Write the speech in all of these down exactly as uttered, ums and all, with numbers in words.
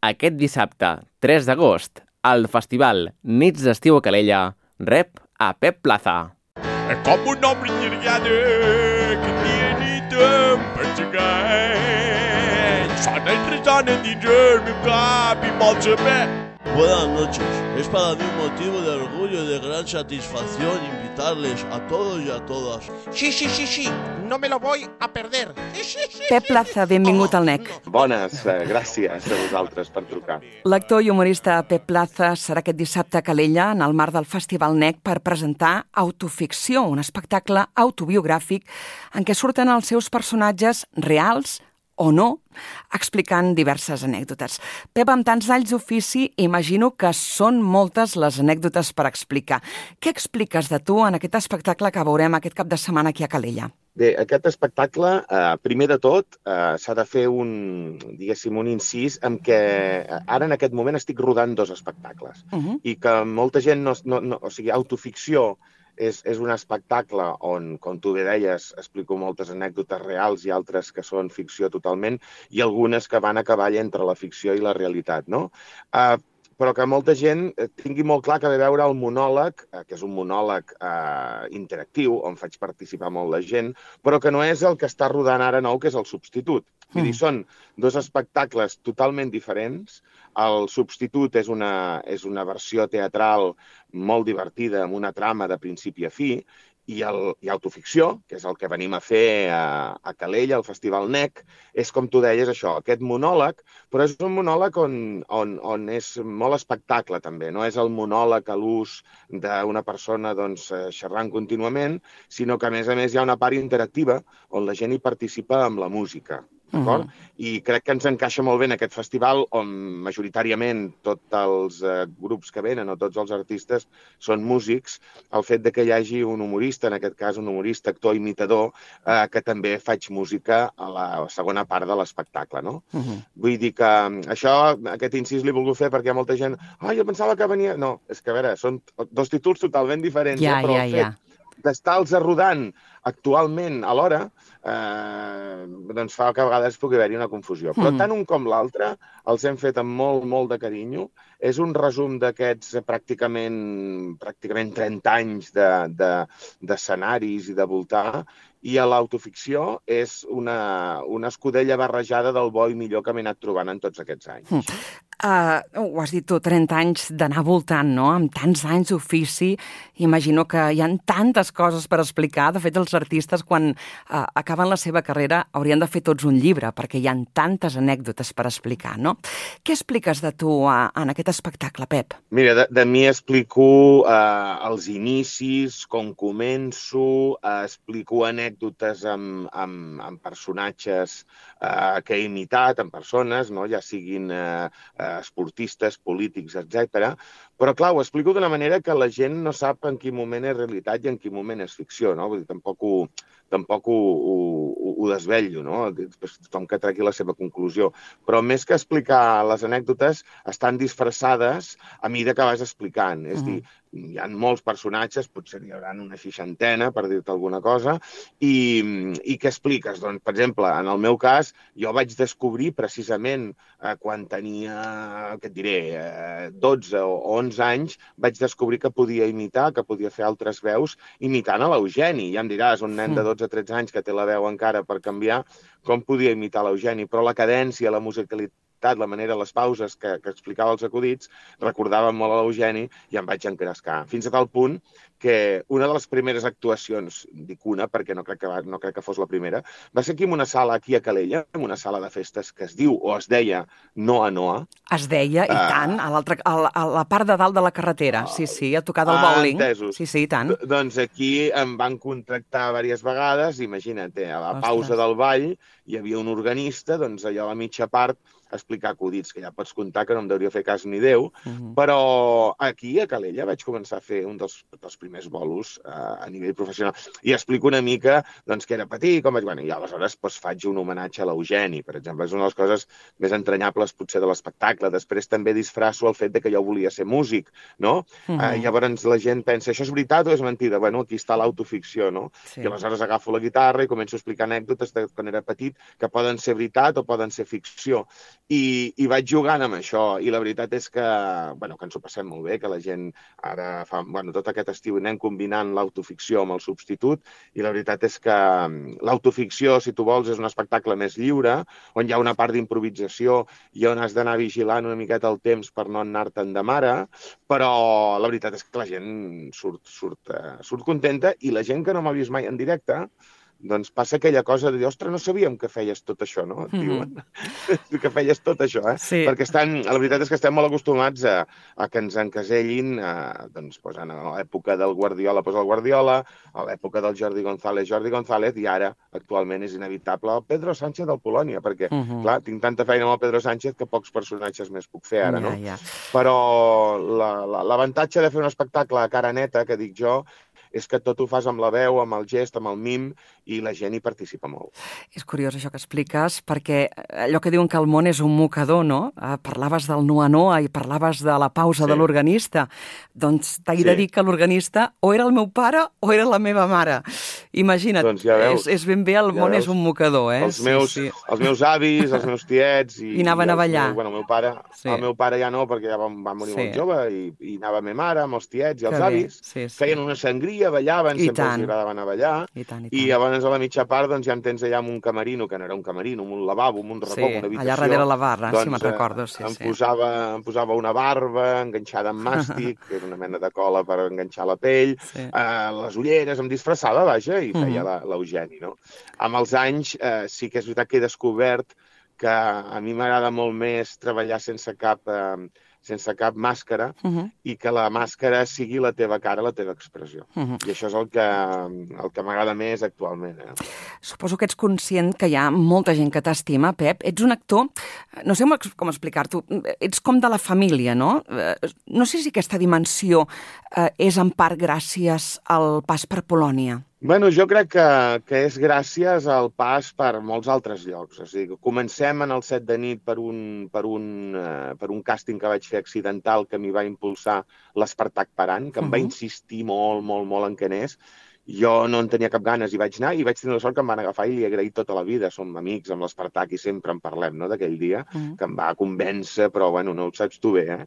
aquest dissabte, tres d'agost, al festival Nits d'Estiu a Calella, rep a Pep Plaza. Com un home llargada que dia ni temps per seguir. Sona i ressona dins el meu cap i vol saber. Buenas noches. Es para mí un motivo de orgullo y de gran satisfacción invitarles a todos y a todas. Sí, sí, sí, sí. No me lo voy a perder. Sí, sí, sí. Pep Plaza, benvingut al N E C. Bones, eh, gràcies a vosaltres per trucar. L'actor i humorista Pep Plaza serà aquest dissabte a Calella en el marc del Festival N E C per presentar Autoficció, un espectacle autobiogràfic en què surten els seus personatges reals o no, explicant diverses anècdotes. Pep, amb tants anys d'ofici, imagino que són moltes les anècdotes per explicar. Què expliques de tu en aquest espectacle que veurem aquest cap de setmana aquí a Calella? Bé, aquest espectacle, eh, primer de tot, eh, s'ha de fer un, diguéssim, un incís en què ara en aquest moment estic rodant dos espectacles uh-huh. i que molta gent, no, no, no, o sigui, autoficció, És, és un espectacle on, com tu bé deies, explico moltes anècdotes reals i altres que són ficció totalment i algunes que van a cavall entre la ficció i la realitat, no? Uh, però que molta gent tingui molt clar que ve veure el monòleg, uh, que és un monòleg uh, interactiu, on faig participar molt la gent, però que no és el que està rodant ara nou, que és el substitut. Vull dir, són dos espectacles totalment diferents. El substitut és una, és una versió teatral molt divertida, amb una trama de principi a fi, i, el, i autoficció, que és el que venim a fer a, a Calella, al Festival N E C, és, com tu deies, això, aquest monòleg, però és un monòleg on, on, on és molt espectacle, també. No és el monòleg a l'ús d'una persona doncs, xerrant contínuament, sinó que, a més a més, hi ha una part interactiva on la gent hi participa amb la música. Uh-huh. I crec que ens encaixa molt bé en aquest festival on majoritàriament tots els eh, grups que venen o tots els artistes són músics, el fet de que hi hagi un humorista, en aquest cas un humorista, actor, imitador, eh, que també faig música a la segona part de l'espectacle, no? Uh-huh. Vull dir que això, aquest incís l'he volgut fer perquè hi ha molta gent, ah, jo pensava que venia... No, és que a veure, són dos títols totalment diferents, ja, eh? Però ja, el fet ja. d'estar-los rodant actualment alhora, eh, doncs fa que a vegades pugui haver-hi una confusió. Però tant un com l'altre els hem fet amb molt, molt de carinyo. És un resum d'aquests pràcticament, pràcticament trenta anys d'escenaris de, de, i de voltar, i a l'autoficció és una, una escudella barrejada del bo i millor que m'he anat trobant en tots aquests anys. Mm. Uh, ho has dit tu, trenta anys d'anar voltant, no? Amb tants anys d'ofici, imagino que hi ha tantes coses per explicar. De fet, els artistes, quan uh, acaben la seva carrera, haurien de fer tots un llibre, perquè hi ha tantes anècdotes per explicar, no? Què expliques de tu uh, en aquest espectacle, Pep? Mira, de, de mi explico uh, els inicis, com començo, uh, explico anècdotes amb, amb, amb personatges uh, que he imitat, amb persones, no? Ja siguin uh, esportistes, polítics, etcètera. Però, clar, ho explico d'una manera que la gent no sap en quin moment és realitat i en quin moment és ficció, no? Vull dir, tampoc ho, tampoc ho, ho, ho desvetllo, no? Tothom que tregui la seva conclusió. Però més que explicar les anècdotes, estan disfressades a mesura que vas explicant. És a dir, hi ha molts personatges, potser hi haurà una seixantena, per dir-te alguna cosa, i, i què expliques? Doncs, per exemple, en el meu cas, jo vaig descobrir precisament eh, quan tenia, què et diré, eh, dotze o onze anys, vaig descobrir que podia imitar, que podia fer altres veus, imitant a l'Eugeni. Ja em diràs, un nen de dotze o tretze anys que té la veu encara per canviar, com podia imitar l'Eugeni? Però la cadència, la musicalitat, la manera, les pauses que, que explicava els acudits, recordava molt a l'Eugeni i em vaig encrescar. Fins a tal punt que una de les primeres actuacions, dic una perquè no crec que, va, no crec que fos la primera, va ser aquí en una sala aquí a Calella, en una sala de festes que es diu o es deia Noa Noa. Es deia, i uh, tant, a, a, la, a la part de dalt de la carretera, sí, sí, a tocar del bowling. Entesos. Sí, sí, i tant. D doncs aquí em van contractar diverses vegades, imagina't, a la pausa del ball hi havia un organista, doncs allò a la mitja part explicar acudits, que ja pots comptar que no em deuria fer cas ni Déu, uh-huh. Però aquí a Calella vaig començar a fer un dels, dels primers bolos uh, a nivell professional i explico una mica doncs, que era petit, com vaig... Bueno, i aleshores doncs, faig un homenatge a l'Eugeni, per exemple, és una de les coses més entranyables potser de l'espectacle. Després també disfrasso el fet de que jo volia ser músic, no? Uh-huh. uh, llavors la gent pensa, això és veritat o és mentida? Bueno, aquí està l'autoficció, no? Sí. I aleshores agafo la guitarra i començo a explicar anècdotes de quan era petit que poden ser veritat o poden ser ficció. I, i vaig jugant amb això, i la veritat és que, bueno, que ens ho passem molt bé, que la gent ara fa, bueno, tot aquest estiu anem combinant l'autoficció amb el substitut, i la veritat és que l'autoficció, si tu vols, és un espectacle més lliure, on hi ha una part d'improvisació i on has d'anar vigilant una miqueta el temps per no anar-te'n de mare, però la veritat és que la gent surt, surt, surt contenta, i la gent que no m'ha vist mai en directe, doncs passa aquella cosa de dir, ostres, no sabíem que feies tot això, no? Et diuen que feies tot això, eh? Sí. Perquè estan, la veritat és que estem molt acostumats a, a que ens encasellin, a, doncs, posant a l'època del Guardiola, posa el Guardiola, a l'època del Jordi González, Jordi González, i ara, actualment, és inevitable el Pedro Sánchez del Polònia, perquè, uh -huh. clar, tinc tanta feina amb el Pedro Sánchez que pocs personatges més puc fer ara, no? Ja, ja. Però l'avantatge de fer un espectacle a cara neta, que dic jo, és que tot ho fas amb la veu, amb el gest, amb el mim, i la gent hi participa molt. És curiós això que expliques, perquè allò que diuen que el món és un mocador, no? Eh, parlaves del Noa Noa i parlaves de la pausa Sí. de l'organista. Doncs t'he Sí. de dir que l'organista o era el meu pare o era la meva mare. Imagina't, Doncs ja veus. és, és ben bé, el Ja món veus. és un mocador, eh? Els meus, Sí, sí. els meus avis, els meus tiets... I, I anaven i a els ballar. Meus, bueno, el meu pare, Sí. el meu pare ja no, perquè ja va, va morir Sí. molt jove, i, i anava a ma mare, amb els tiets i els Que bé. avis. Sí, sí. Feien una sangria, ballaven, I sempre tant. els agradava anar a ballar. I tant, i I tant. llavors a la mitja part doncs, ja em tens allà amb un camerino, que no era un camerino, amb un lavabo, amb un racó, Sí, amb una habitació. allà darrere la barra, doncs, si me'n eh, recordo, sí, em sí. Posava, em posava una barba enganxada amb màstic, que era una mena de cola per enganxar la pell, Sí. eh, les ulleres, em disfressava, vaja, i feia Mhm. la- l'Eugeni, no? Amb els anys, eh, sí que és veritat que he descobert que a mi m'agrada molt més treballar sense cap, eh, sense cap màscara, Uh -huh. i que la màscara sigui la teva cara, la teva expressió. Uh -huh. I això és el que, el que m'agrada més actualment. Eh? Suposo que ets conscient que hi ha molta gent que t'estima, Pep. Ets un actor, no sé com explicar-t'ho, ets com de la família, no? No sé si aquesta dimensió eh, és en part gràcies al pas per Polònia. Bueno, jo crec que, que és gràcies al pas per molts altres llocs. O sigui, comencem en el set de nit per un, per un, uh, per un càsting que vaig fer accidental que m'hi va impulsar l'Espartac Paran, que em va Uh-huh. insistir molt, molt, molt en que anés. Jo no en tenia cap ganes i vaig anar, i vaig tenir la sort que em van agafar i li he agraït tota la vida. Som amics amb l'Espartac i sempre en parlem, no?, d'aquell dia, Uh-huh. que em va convèncer, però bueno, no ho saps tu bé, eh?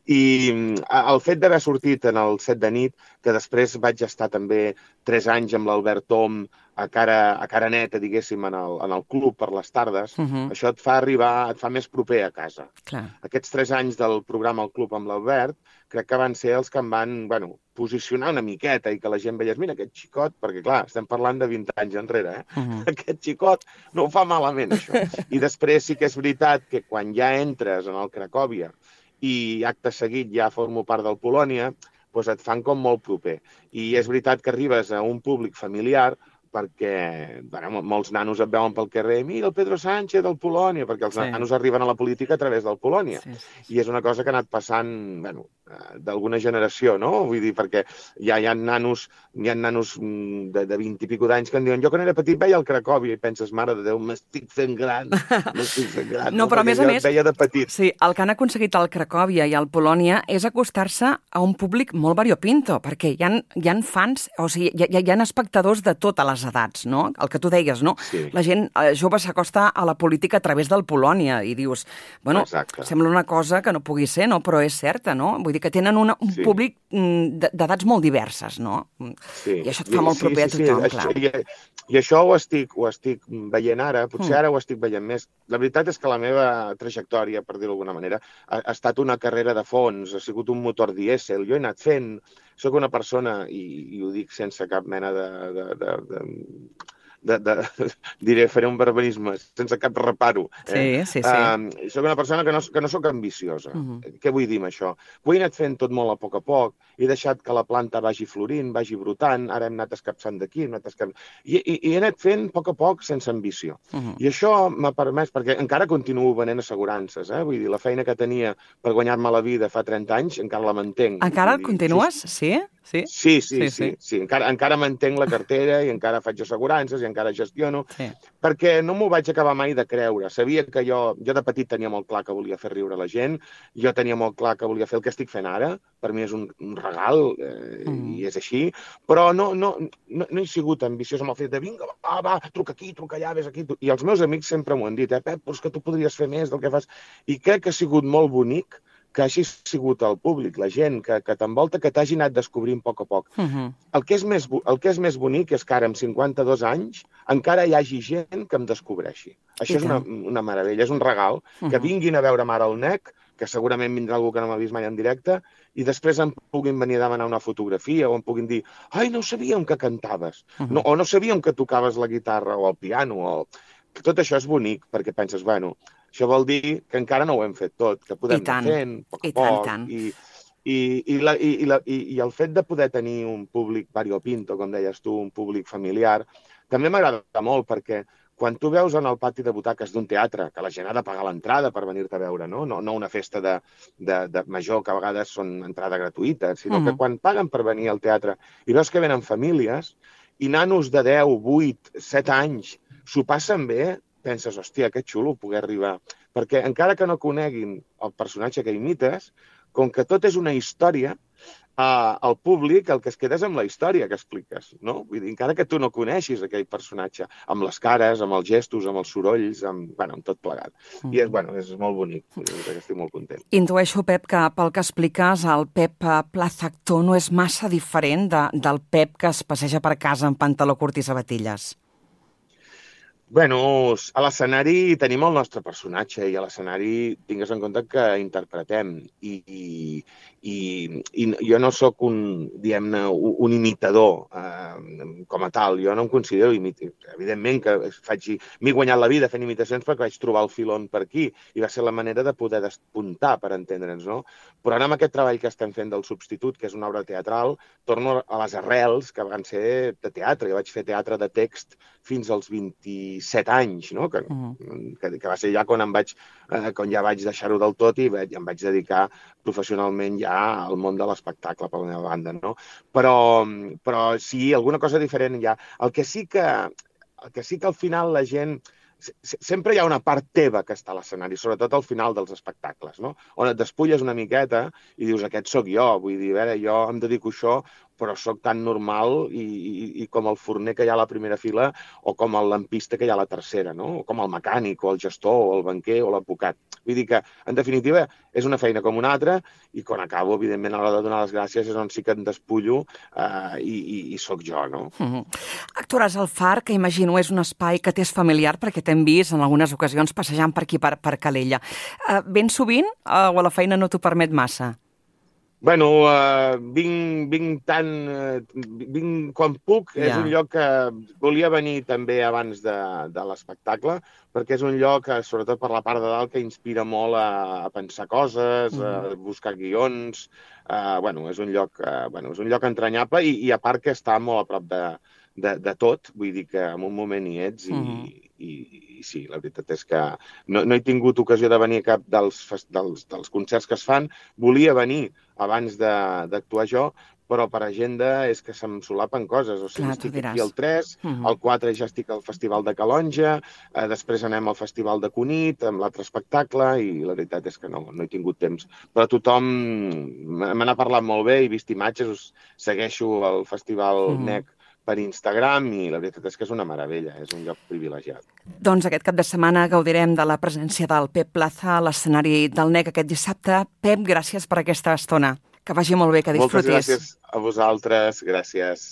I el fet d'haver sortit en el set de nit, que després vaig estar també tres anys amb l'Albert Tom a cara, a cara neta, diguéssim, en el, en el club per les tardes, Uh-huh. això et fa arribar, et fa més proper a casa. Clar. Aquests tres anys del programa al club amb l'Albert, crec que van ser els que em van, bueno, posicionar una miqueta i que la gent veiés, mira, aquest xicot, perquè clar, estem parlant de vint anys enrere, eh? Uh-huh. Aquest xicot no ho fa malament, això. I després sí que és veritat que quan ja entres en el Cracòvia i acte seguit ja formo part del Polònia, doncs et fan com molt proper. I és veritat que arribes a un públic familiar perquè bueno, molts nanos et veuen pel carrer, mira el Pedro Sánchez del Polònia, perquè els Sí. nanos arriben a la política a través del Polònia. Sí, sí. I és una cosa que ha anat passant, bueno, eh, d'alguna generació, no? Vull dir, perquè ja hi ha nanos, hi ha nanos mm, de, de vint i pico d'anys que em diuen, jo quan era petit veia el Cracòvia, i penses, mare de Déu, m'estic fent gran, m'estic fent gran. No, però a Perquè més a jo més- et veia de petit. Sí, el que han aconseguit al Cracòvia i al Polònia és acostar-se a un públic molt variopinto, perquè hi ha, hi ha fans, o sigui, hi ha, hi ha espectadors de totes les edats, no? El que tu deies, no? Sí. La gent eh, jove s'acosta a la política a través del Polònia i dius, bueno, Exacte. sembla una cosa que no pugui ser, no? Però és certa, no? Vull dir que tenen una, un Sí. públic mm, d- d'edats molt diverses, no? Sí. I això et fa molt proper a tothom, clar. I, I això ho estic, ho estic veient ara, potser Mm. ara ho estic veient més. La veritat és que la meva trajectòria, per dir-ho d'alguna manera, ha, ha estat una carrera de fons, ha sigut un motor dièsel. Jo he anat fent, soc una persona, i, i ho dic sense cap mena de... de, de, de De, de, diré, faré un barbarisme, sense cap reparo. Eh? Sí, sí, sí. Um, soc una persona que no, que no soc ambiciosa. Mhm. Què vull dir amb això? Ho he anat fent tot molt a poc a poc, he deixat que la planta vagi florint, vagi brotant, ara hem anat escapçant d'aquí, hem anat escapçant... I, i, I he anat fent a poc a poc sense ambició. Mhm. I això m'ha permès, perquè encara continuo venent assegurances, eh? Vull dir, la feina que tenia per guanyar-me la vida fa trenta anys, encara la mantenc. Encara Vull dir, continues? Sí? Sí? Sí, sí, Sí, sí, sí. sí, sí. Encara, encara mantenc la cartera i encara faig assegurances i encara gestiono, Sí. perquè no m'ho vaig acabar mai de creure. Sabia que jo, jo de petit tenia molt clar que volia fer riure la gent, jo tenia molt clar que volia fer el que estic fent ara, per mi és un, un regal, eh, mm. i és així, però no, no, no, no he sigut ambiciós amb el fet de vinga, va, va, truca aquí, truca allà, vés aquí. I els meus amics sempre m'ho han dit, eh, Pep, però és que tu podries fer més del que fas. I crec que ha sigut molt bonic que hagi sigut el públic, la gent que, que t'envolta, que t'hagi anat descobrint a poc a poc. Uh-huh. El que és més, el que és més bonic és que ara, amb cinquanta-dos anys, encara hi hagi gent que em descobreixi. Això és una, una meravella, és un regal. Uh-huh. Que vinguin a veure'm ara al N E C, que segurament vindrà algú que no m'ha vist mai en directe, i després em puguin venir a demanar una fotografia o em puguin dir ai, no sabíem que cantaves, uh-huh. no, o no sabíem que tocaves la guitarra o el piano. O... Tot això és bonic, perquè penses, bueno, això vol dir que encara no ho hem fet tot, que podem anar fent a poc a poc. I tant, i, i, i, la, i, i, la, i, I el fet de poder tenir un públic variopinto, com deies tu, un públic familiar, també m'agrada molt, perquè quan tu veus en el pati de butaques d'un teatre, que la gent ha de pagar l'entrada per venir-te a veure, no? No, no una festa de, de, de major, que a vegades són entrada gratuïta, sinó mm. que quan paguen per venir al teatre i veus que venen famílies i nanos de deu, vuit, set anys s'ho passen bé, penses, hòstia, que xulo poder arribar. Perquè encara que no coneguin el personatge que imites, com que tot és una història, eh, el públic el que es queda és amb la història que expliques, no? Vull dir, encara que tu no coneixis aquell personatge, amb les cares, amb els gestos, amb els sorolls, amb, bueno, amb tot plegat. Mm. I és, bueno, és molt bonic, que estic molt content. Intueixo, Pep, que pel que expliques, el Pep Plaza actor no és massa diferent de, del Pep que es passeja per casa amb pantaló curt i sabatilles. Bueno, a l'escenari tenim el nostre personatge i a l'escenari tingues en compte que interpretem i, i, i, i jo no sóc un, diguem-ne, un imitador eh, com a tal. Jo no em considero imitador. Evidentment que faig, m'he guanyat la vida fent imitacions perquè vaig trobar el filon per aquí i va ser la manera de poder despuntar, per entendre'ns, no? Però ara amb aquest treball que estem fent del Substitut, que és una obra teatral, torno a les arrels que van ser de teatre. Jo vaig fer teatre de text fins als vint-i-set anys, no? Que, uh-huh. que, que va ser ja quan, em vaig, eh, quan ja vaig deixar-ho del tot i vaig, em vaig dedicar professionalment ja al món de l'espectacle per la meva banda, no? Però, però sí, alguna cosa diferent hi ha. El que sí que, el que sí que al final la gent... Sempre hi ha una part teva que està a l'escenari, sobretot al final dels espectacles, no? On et despulles una miqueta i dius, aquest sóc jo, vull dir, a veure, jo em dedico a això, però sóc tan normal i, i, i com el forner que hi ha a la primera fila o com el lampista que hi ha a la tercera, no? O com el mecànic, o el gestor, o el banquer, o l'advocat. Vull dir que, en definitiva, és una feina com una altra i quan acabo, evidentment, a l'hora de donar les gràcies és on sí que em despullo eh, i, i, i sóc jo, no? Mm-hmm. Actuaràs al Far, que imagino és un espai que t'és familiar perquè t'hem vist en algunes ocasions passejant per aquí, per, per Calella. Uh, ben sovint uh, o la feina no t'ho permet massa? Bueno, uh, vinc, vinc tant... Uh, vinc quan puc. Yeah. És un lloc que volia venir també abans de, de l'espectacle, perquè és un lloc, que, sobretot per la part de dalt, que inspira molt a, a pensar coses, mm. a buscar guions. Uh, bueno, és un lloc, uh, bueno, és un lloc entranyable i, i a part que està molt a prop de, de, de tot. Vull dir que en un moment hi ets i... Mm. I, i sí, la veritat és que no, no he tingut ocasió de venir a cap dels, dels, dels concerts que es fan. Volia venir abans d'actuar jo, però per agenda és que se'm solapen coses. O sigui, Clar, estic aquí al tres, uh-huh. al quatre ja estic al Festival de Calonja, eh, després anem al Festival de Cunit, amb l'altre espectacle, i la veritat és que no, no he tingut temps. Però tothom me n'ha parlat molt bé, he vist imatges, us segueixo al Festival uh-huh. N E C per Instagram i la veritat és que és una meravella, és un lloc privilegiat. Doncs aquest cap de setmana gaudirem de la presència del Pep Plaza a l'escenari del N E C aquest dissabte. Pep, gràcies per aquesta estona. Que vagi molt bé, que disfrutis. Moltes gràcies a vosaltres, gràcies.